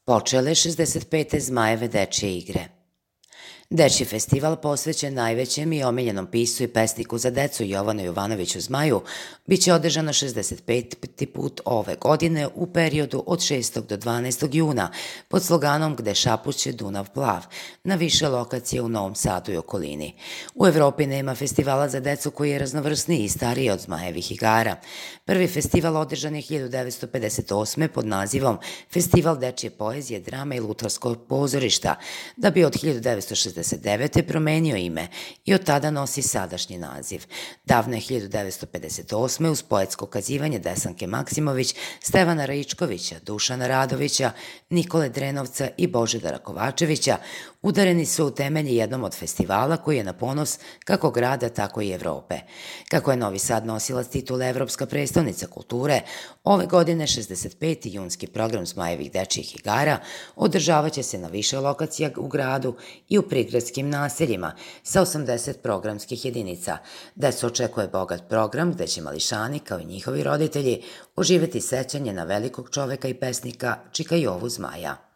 Počele 65. Zmajeve dečje igre. Dečji festival posvećen najvećem i omiljenom piscu i pesniku za decu Jovanu Jovanoviću Zmaju biće održano 65. put ove godine u periodu od 6. do 12. juna pod sloganom Gde šapuće Dunav plav na više lokacije u Novom Sadu i okolini. U Evropi nema festivala za decu koji je raznovrsniji i stariji od Zmajevih igara. Prvi festival održan je 1958. pod nazivom Festival dečje poezije, drame i lutkarskog pozorišta, da bi od 1969. promenio ime i od tada nosi sadašnji naziv. Davne 1958. uz poetsko kazivanje Desanke Maksimović, Stevana Raičkovića, Dušana Radovića, Nikole Drenovca i Božidara Kovačevića udareni su u temelji jednom od festivala koji je na ponos kako grada, tako i Evrope. Kako je Novi Sad nosilac titule Evropska prestonica kulture, ove godine 65. junski program Zmajevih dečjih igara održavaće se na više lokacija u gradu i u prigradskim naseljima sa 80 programskih jedinica. Decu očekuje bogat program gde će mališani, kao i njihovi roditelji, uživati sećanje na velikog čoveka i pesnika Čika Jovu Zmaja.